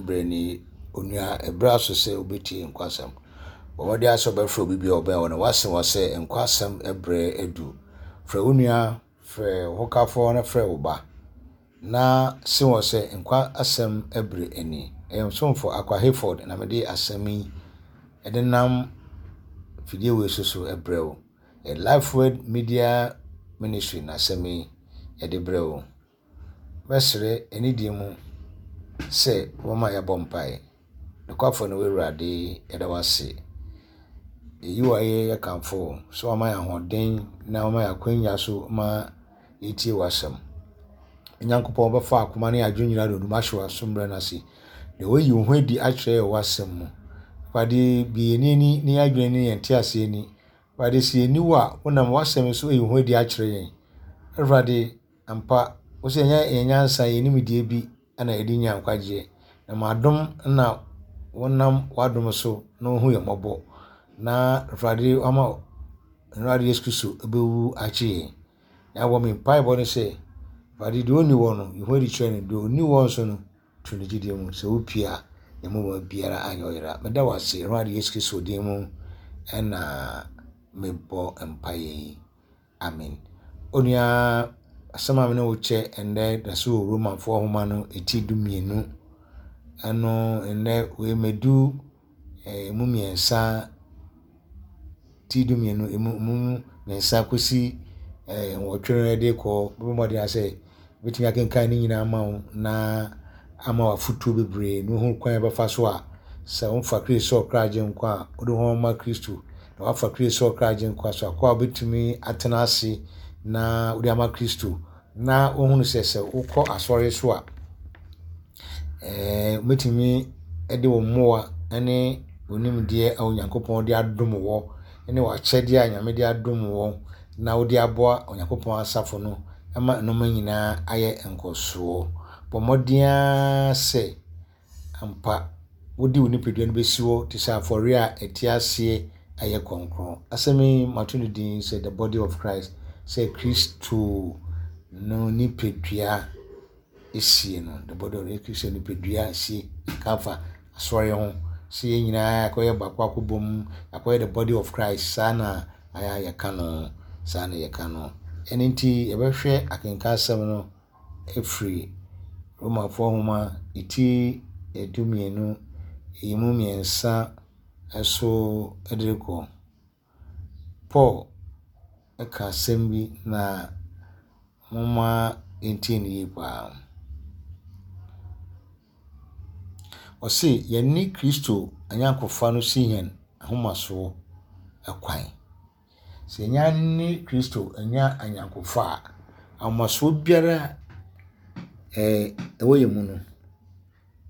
Berɛ ni, onua, ɛberɛ aso sɛ wobɛtie nkwa asɛm. Bɔ mmɔden ara sɛ wobɛfrɛ obi bi a ɔbɛn wo no, woase wɔ sɛ nkwa asɛm berɛ adu. Frɛ wo nua, frɛ wo hokafoɔ na frɛ wo ba na se wɔ sɛ nkwa asɛm berɛ ni. Ɛyɛ Ɔsomfo Akwa Hayford na mede asɛm yi de nam fidie wei so so brɛ wo. Ɛyɛ Lifeword Media Ministry na asɛm yi yɛde brɛ wo. Mɛsrɛ anidie mu sɛ wobɛma yɛabɔ mpaeɛ. Nokwafo ne wo Awurade, yɛda wo ase. Yɛyi wo ayɛ, yɛkamfo wo sɛ wama yɛn ahoɔden na wama yɛn akwanya so ma yɛtie w'asɛm. Onyankopɔn bɛfa akoma ne adwene nyinaa de odum ahyɛ w'aso mmerɛ no ase. Na wayi wo ho adi akyerɛ yɛn w'asɛm mu. Awurade, bue yɛn ani ne yɛn adwene ne yɛn nteaseɛ ani. Awurade, sɛ yɛnni wo a, wonam w'asɛm so ayi wo ho adi akyerɛ yɛn. Awurade, Ampa, wo sɛ ɛnyɛ yɛn nyansa, yɛn nimdeɛ bi na yɛde nya nkwagyeɛ, na ma adom na wonam w'adom so na wohu yɛn mmɔbɔ, na Awurade wama Awurade Yesu Kristo bɛwu agye yɛn. Na wɔ me mpaebɔ ne sɛ, Awurade deɛ ɔnni wɔ no, yi ho adi kyerɛ no, deɛ ɔnni wɔ nso no, to ne gyidie mu, sɛ wopie a, yɛn mu biara anyɛ ɔyera. Meda wo ase, Awurade Yesu Kristo din mu ɛna mebɔ mpaeɛ yi. Amen. Onua, asɛm a me ne wo kyɛ ɛnnɛ da so wɔ Romanfoɔ nwoma no ti 12. Ɛno ɛnnɛ wei mɛdu emu mmiɛnsa, ti 12 emu mu mmiɛnsa kɔsi 8 no de kɔ. Bɛbɔ mmɔden ara sɛ Mɛtumi akenkan ne nyinaa ama wo na ama wo afotuo bebree na wohu kwan a ɛbɛfa so a sɛ wofa Kristo sɛ ɔkra agyenkwa a wode ho ma Kristo na wafa Kristo sɛ ɔkra agyenkwa so akɔ a wobɛtumi atena ase na wode ama Kristo na wohunu sɛ sɛ wokɔ asɔre so a ɛɛ wobɛtumi de wo mmoa ne wo nimdeɛ a Onyankopɔn de adom wɔ ne w'akyɛdeɛ a Nyame de adom wɔ na wode aboa Onyankopɔn asafo no ma nnoɔma nyinaa ayɛ nkɔsoɔ. Bɔ mmɔden ara sɛ ampa wode wo nipadua no bɛsi hɔ te sɛ afɔreɛ a ɛte aseɛ ayɛ kronkron. Asɛm yi mato no din sɛ The Body of Christ, sɛ Kristo no nipadua sie no, the body of Kristo nipadua sie ka fa asɔre ho sɛ yɛn nyinaa akɔyɛ baako akɔbɔ mu akɔyɛ the body of Christ saa na ayɛ a yɛka no saa na yɛka no. Ɛno nti yɛbɛhwɛ akenka asɛm no afiri Romafoɔ nwoma ti 12 yi mu mmiɛnsa so de rekɔ. Paul ka asɛm bi na momma yɛntie no yie paa. Ɔse yɛne Kristo anyɔnkofa no si yɛn ahomasoɔ kwan. Sɛ yɛne Kristo anya anyɔnkofa a, ahomasoɔ biara a ɛwɔ yɛn mu no,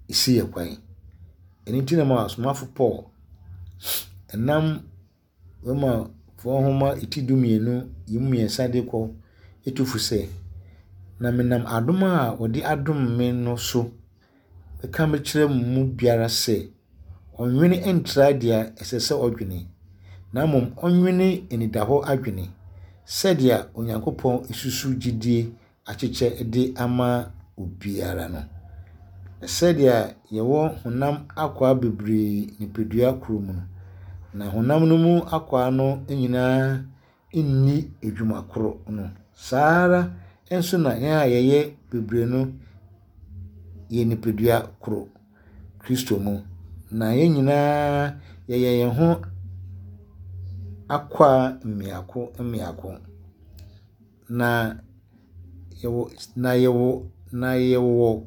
ɛsi yɛn kwan. Ɛno nti na ma ɔsomafo Paul nam Romafoɔ nwoma ti 12 yi mu mmiɛnsa de kɔ tu fo sɛ, Na menam adom a wɔde adom me no so meka mekyerɛ mo mu biara sɛ, ɔnnwene ntra deɛ ɛsɛ sɛ ɔdwene, na mmom ɔnnwene anidahɔ adwene, sɛdeɛ Onyankopɔn susu gyidie akyekyɛ de ama obiara no. Sɛdeɛ yɛwɔ honam akwaa bebree nipadua koro mu no, na honam no mu akwaa no nyinaa nni adwuma koro no, saa ara nso na yɛn a yɛyɛ bebree no yɛ nipadua koro Kristo mu. Na yɛn nyinaa yɛyɛ yɛn ho akwaa mmiako mmiako. Na yɛwɔ na yɛwɔ na yɛwɔ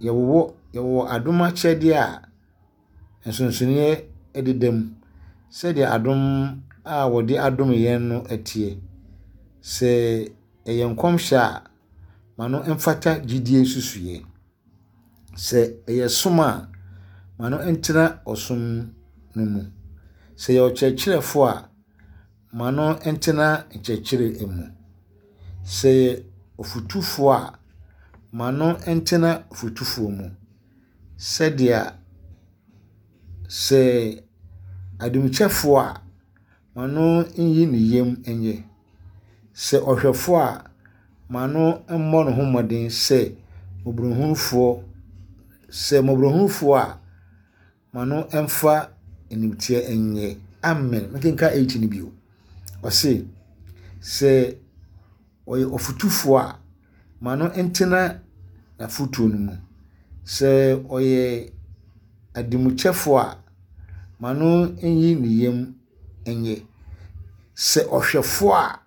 yɛwɔ yɛwɔ adom akyɛdeɛ a nsonsonoeɛ deda mu sɛdeɛ adom a wɔde adom yɛn no teɛ. Sɛ ɛyɛ nkɔmhyɛ a, ma no mfata gyidie nsusuiɛ. Sɛ ɛyɛ som a, ma no ntena ɔsom no mu. Sɛ ɛyɛ ɔkyerɛkyerɛfoɔ a, ma no ntena nkyerɛkyerɛ mu. Sɛ ɛyɛ ɔfotufoɔ a, ma no ntena fotufoɔ mu. Sɛdeɛ sɛ adomkyɛfoɔ a, ma no nyi ne yam nyɛ. Sɛ ɔhwɛfoɔ a, ma no mmɔ ne ho mmɔden sɛ mmɔborɔhunufoɔ. Sɛ mmɔborɔhunufoɔ a, ma no mfa animteɛ nyɛ. Amen. Mekenka 8 no bio. Ɔse, sɛ ɔyɛ ɔfotufoɔ a, ma no ntena n'afotuo no mu. Sɛ ɔyɛ ademukyɛfoɔ a, ma no nyi ne yam nyɛ. Sɛ ɔhwɛfoɔ a,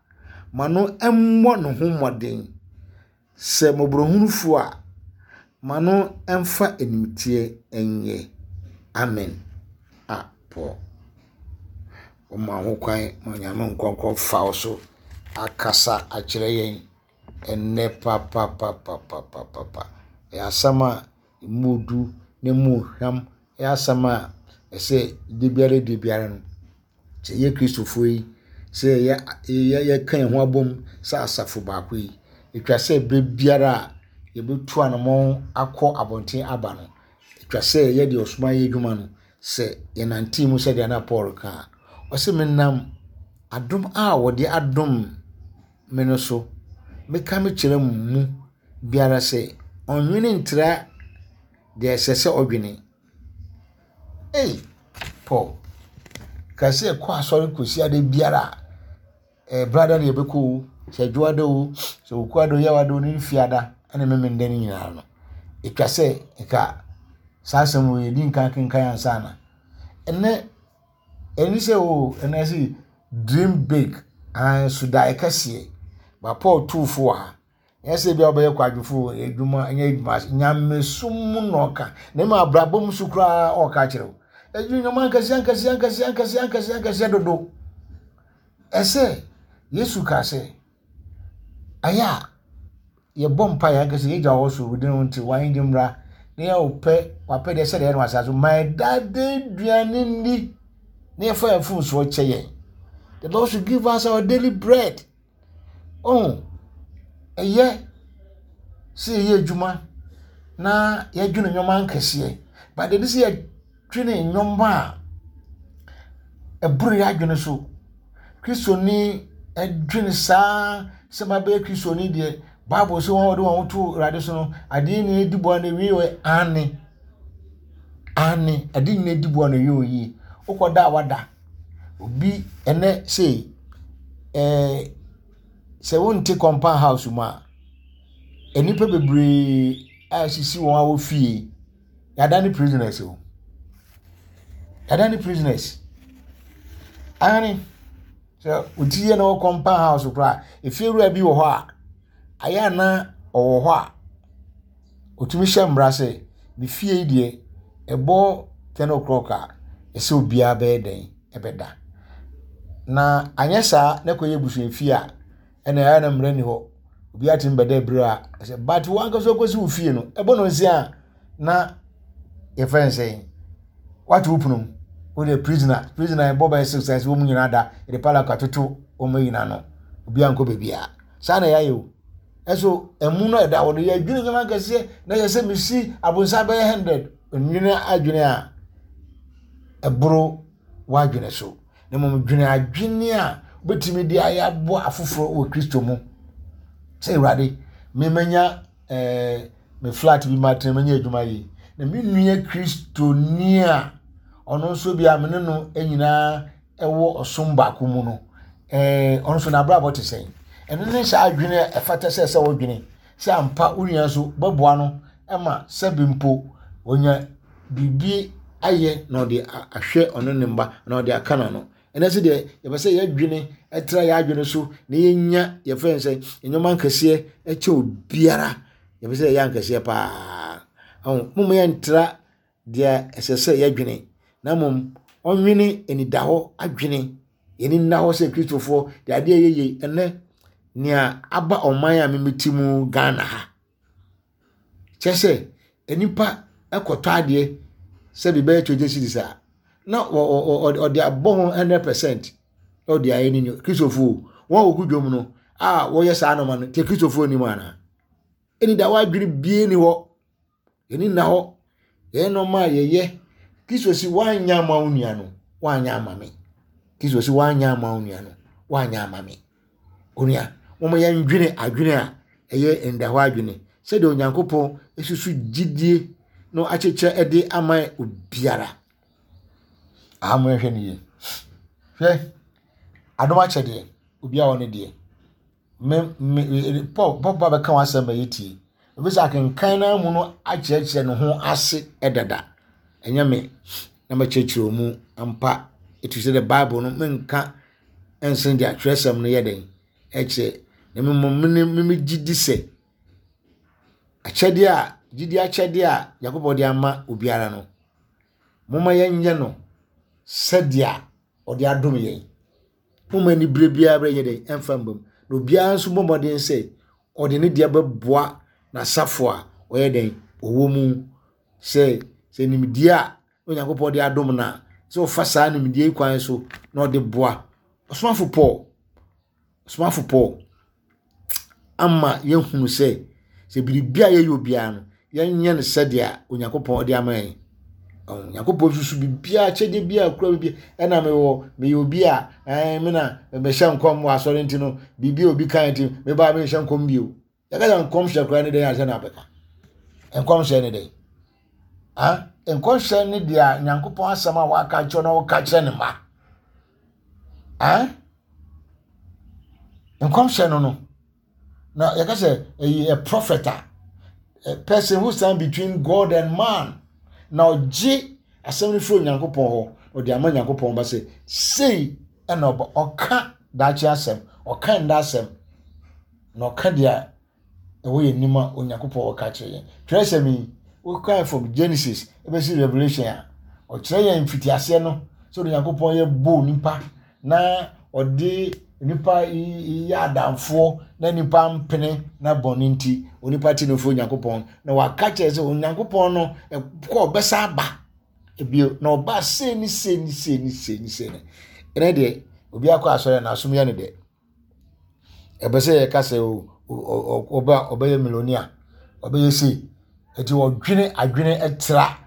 ma no mmɔ ne ho mmɔden. Sɛ mmɔborɔhunufoɔ a, ma no mfa animteɛ nyɛ. Amen. A Paul. Woma ho kwan ma Onyame nkɔnkɔn fa wo so akasa akyerɛ yɛn ɛnnɛ papapapapapapa. Ɛyɛ asɛm a emu du na emu hwam. Ɛyɛ asɛm a ɛsɛ da biara da biara no, sɛ yɛyɛ Kristofoɔ yi, sɛ yɛyɛ yɛ yɛka yɛn ho abom sɛ asafo baako yi, ɛtwa sɛ berɛ biara a yɛbɛtu anammɔn akɔ abɔnten aba no, ɛtwa sɛ yɛyɛ deɛ ɔsoma yɛ adwuma no, sɛ yɛnante mu sɛdeɛ na Paul ka a, ɔse menam adom a wɔde adom me no so, meka mekyerɛ mo mu biara sɛ ɔnnwene ntra deɛ ɛsɛ sɛ ɔdwene. Ei, Paul, ka sɛ kɔ asɔre kɔsi ada biara a, ɛyɛ brada na yɛbɛkɔ o, sɛ adwoada o, sɛ okuada o, yawada o, ne fiada ne memenda no nyinaa no, ɛtwa sɛ nka saa asɛm wei yɛdi nkan kenkan ansa na. Ɛnɛ, ɛni sɛ o, ɛnɛ sɛ dream big, so daeɛ kɛseɛ. Ba Paul tuu fo wɔ ha. Ɛnyɛ sɛ ebia wobɛyɛ kwadwofo wɔ adwuma, ɛnyɛ adwuma ase. Nyamesom mu na ɔka. Na mmom abrabɔ mu so koraa ɔka kyerɛ wo. Ɛdwene nneɛma nkɛseɛ nkɛseɛ nkɛseɛ nkɛseɛ nkɛseɛ nkɛseɛ dodo. Ɛsɛ Yesu kaa sɛ, ɛyɛ a yɛbɔ mpa yɛn ankasa yɛgya wɔ soro wodin ho nti wɔn de mmra na yɛ wopɛ wapɛ deɛ sɛdeɛ ɛyɛ no asase so ma ɛda de aduane nni na yɛfa yɛn mfomsoɔ kyɛ yɛn. The Lord should give us our daily bread. Oh, ɛyɛ sɛ yɛyɛ adwuma na yɛdwene nneɛma nkɛseɛ, but ɛde sɛ yɛdwene nneɛma a ɛboro yɛn adwene so. Kristoni dwene saa sɛ mabɛyɛ Kristoni deɛ, Bible sɛ wɔn a wɔde wɔn ho to Awurade so no, adeɛ nyinaa di boa na ewie wɔ aane. Aane, adeɛ nyinaa di boa na ewie wɔ yie. Wokɔda a wada. Obi ɛnɛ sei ɛɛ sɛ wonte compound house mu a, nnipa bebree a asisi wɔn a wɔ fie, yɛadane prisoners o. Yɛadane prisoners. Aane, sɛ wo ti yɛ na wɔ compound house koraa a, efiewura bi wɔ hɔ a, ayɛ a na ɔwɔ hɔ a, Ɔtumi hyɛ mmara sɛ, me fie yi deɛ, ɛbɔ ten o'clock a, ɛsɛ obiara bɛyɛ dɛn? Ɛbɛda. Na anyɛ saa na ɛkɔyɛ abusuafie a, ɛna ɛyɛ na mmara nni hɔ. Obiara tumi bɛda berɛ a ɛsɛ. But wo ankasa wokɔsi wo fie no, ɛbɔ nnɔnsia a, na yɛfrɛ no sɛn? Woato wo pono mu. Wode prisoner, prisoner ɛbɔ bɛyɛ 6 a ɛsɛ wɔn nyinaa da. Yɛde padlock atoto wɔn nyinaa ano. Obiara nkɔ baabiara. Saa na yɛayɛ o. Ɛso ɛmu no ɛda hɔ no yɛdwene nneɛma akɛseɛ na yɛ sɛ mesi abonsa bɛyɛ 100 nwene adwene a ɛboro w'adwene so na mmom dwene adwene a wobɛtumi de ayɛ aboa afoforɔ wɔ Kristo mu sɛ Awurade memanya eh, me flat bi matena manya adwuma yi na me nua Kristoni a ɔno nso bi a me ne no nyinaa wɔ ɔsom baako mu no, ɛɛ ɔno nso n'abrabɔ te sɛn? Ɛno ne saa adwene a ɛfata sɛ sɛ wodwene sɛ ampa wo nua nso bɛboa no ma sɛbi mpo wɔnya biribi ayɛ na ɔde ahwɛ ɔno ne mma na ɔde aka n'ano. Ɛnɛ sɛ deɛ yɛpɛ sɛ yɛdwene ɛtra yɛn adwene so na yɛnya yɛfrɛ no sɛ nneɛma nkɛseɛ ɛkyɛ obiara yɛpɛ sɛ yɛyɛ ankɛseɛ paa. Ɔho moma yɛntra deɛ ɛsɛ sɛ yɛdwene, na mmom ɔnwene anidahɔ adwene. Yɛn ani nna hɔ sɛ Kristofoɔ de adeɛ yɛ yie. Ɛnɛ, nea aba ɔman a memete mu Ghana ha, kyerɛ sɛ nnipa kɔtɔ adeɛ sɛ bi bɛyɛ 20 cedis a, na ɔde abɔ ho 100% na ɔde ayɛ ne nua. Kristofoɔ, wɔn a wɔgu dwom no a wɔyɛ saa nɔɔma no, kyɛ Kristofoɔ nim anaa? Anidahɔ adwene bie ni hɔ. Yɛn ani nna hɔ. Yɛn nneɛma a yɛyɛ. Kristo si woanyɛ ama wo nua no, woanyɛ ama me. Kristo si woanyɛ ama wo nua no, woanyɛ ama me. Onua, wɔn yɛndwene adwene a ɛyɛ ndahɔ adwene. Sɛdeɛ Onyankopɔn susu gyidie. na akyekyɛ de ama obiara. Aha mo nhwɛ no yie. Hwɛ, adom akyɛdeɛ, obiara wɔ ne deɛ. Me me Paul Paul ba bɛka w'asɛm ma yɛtie. Ebi sɛ akenkan no mu no akyerɛkyerɛ ne ho ase dada. Ɛnyɛ me na mɛkyerɛkyerɛ wɔn mu ampa. Ɛtu sɛ the Bible no menka nsen deɛ atwerɛsɛm no yɛ den ɛkyerɛ. Na mmom me me gye di sɛ akyɛdeɛ a gyidi akyɛdeɛ a Nyankopɔn de ama obiara no, momma yɛnyɛ no sɛdeɛ ɔde adom yɛn. Momma anibere biara bɛyɛ dɛn ɛmfa mma mu. Na obiara nso bɔ mmɔden sɛ ɔde ne deɛ bɛboa n'asafo a ɔyɛ dɛn ɔwɔ mu sɛ sɛ nimdeɛ a Onyankopɔn de adom no a sɛ ɔfa saa nimdeɛ yi kwan so na ɔde boa. Ɔsomafo Paul Ɔsomafo Paul ama yɛahunu sɛ, sɛ biribi a yɛyɛ obiara no, yɛnyɛ no sɛdeɛ Onyankopɔn de ama yɛn. Onyankopɔn susu biribiara, akyɛdeɛ biara kura biribi. Ɛna mewɔ, meyɛ obi a, ɛn, me na mehyɛ nkɔm wɔ asɔre nti no, biribi a obi kan nti, mebaa menhyɛ nkɔm bio. Yɛka sɛ nkɔmhyɛ koraa ne dɛn ansa na abɛka. Nkɔmhyɛ ne dɛn? Ha? Nkɔmhyɛ ne deɛ Nyankopɔn asɛm a waka kyerɛ na wɔka kyerɛ ne mma. Ha? Nkɔmhyɛ no no. Na yɛka sɛ ɛyɛ a prophet a, a person who stand between God and man. Na ɔgye asɛm no firi Onyankopɔn hɔ, ɔde ama Nyankopɔn ba sɛ sei ɛna ɔba ɔka daakye asɛm, ɔka nda asɛm. Na ɔka deɛ ɛwɔ yɛn anim a Onyankopɔn ɔka kyerɛ yɛn. Twerɛsɛm yi, wokan from Genesis ɛbɛsi Revelation a, ɔkyerɛ yɛn mfitiaseɛ no sɛ Onyankopɔn yɛ bɔɔ nipa na ɔde nipa yɛ adamfoɔ na nipa mpene na bɔne nti onipa te no firi Onyankopɔn na waka kyerɛ sɛ Onyankopɔn no kɔ ɔbɛsa aba ebio na ɔba sei ne sei ne sei ne sei ne sei ne ɛnɛ deɛ obi akɔ asɔre na asom yɛ no dɛ. Ɛpɛ sɛ yɛka sɛ ɔba ɔbɛyɛ millionaire, ɔbɛyɛ sei. Nti ɔdwene adwene tra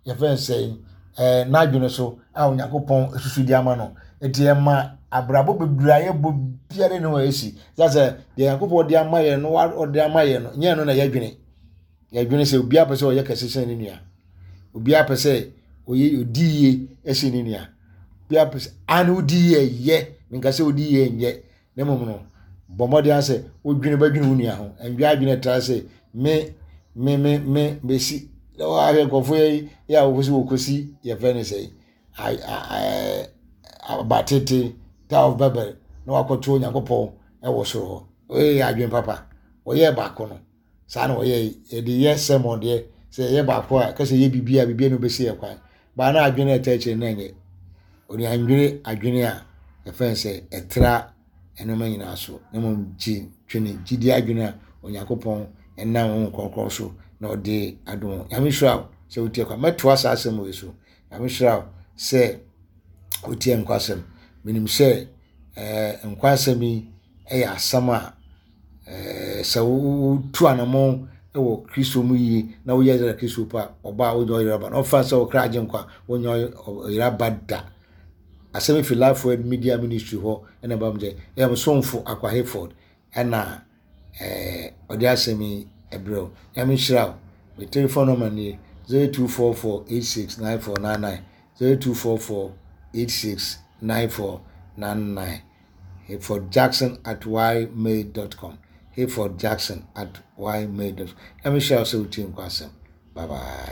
yɛfrɛ no sɛn ɛɛ n'adwene so a Onyankopɔn asusu de ama no. Nti ɛma abrabɔ bebree a yɛbɔ biara nni hɔ a ɛsi. Ɛsiane sɛ deɛ Nyankopɔn de ama yɛn no ɔde ama yɛn no nyɛ ɛno na yɛdwene. Yɛdwene sɛ obiara pɛ sɛ ɔyɛ kɛse sɛn ne nua. Obiara pɛ sɛ ɔyɛ ɔdi yie sen ne nua. Obiara pɛ sɛ ane wodi yie ɛyɛ menka sɛ wodi yie nyɛ na mmom no bɔ mmɔden ara sɛ wodwene bɛdwene wo nua ho. Ɛndwe adwene ɛtra sɛ me me me me mesi na wɔahwɛ nkurɔfoɔ yi yɛ a wɔkɔsi wɔkɔsi yɛfrɛ no sɛ abatete Tower of Babel na wakɔto Onyankopɔn ɛwɔ soro hɔ. Wɔyɛ adwene papa. Wɔyɛɛ baako no. Saa na wɔyɛe. Yɛde yɛ sermon deɛ, sɛ yɛyɛ baako a, kɛsɛ yɛ biribi a, biribi a na obɛsi yɛ kwan. Baa na adwene a ɛta akyire no ɛnyɛ. Ɔde andwene adwene a yɛfrɛ no sɛ ɛtra nneɛma nyinaa so, na mmom gye twene gyidie adwene a Onyankopɔn nam Honhom Kronkron so na ɔde adom wo. Nyame nhyira wo sɛ wotie kwa. Mɛtoa saa asɛm wei so. Nyame nhyira wo sɛ wotie nkwasɛm. Menim sɛ eh, nkwasɛm yi yɛ asɛm a Ɛɛ sɛ wotu anamɔn wɔ Kristo mu yie na woyɛ sɛ Kristo pa ɔba a wonyɛ ɔyera ba na ɔfa sɛ ɔkra agye nkwa wonyɛ ɔyera ba da. Asɛm fi Life Word Media Ministry hɔ ɛna ɛba mu sɛ ɛyɛ mo somfo Akwa Hayford ɛna ɛɛ ɔde asɛm yi ɛbrɛ wo. Nyame nhyira wo. Me telephone number nie 0244869499 0244 869499. Hayford Jackson at ymail dot com Hayford Jackson at ymail dot com. Nyame hyira wo sɛ wotie nkwa asɛm. Bye bye.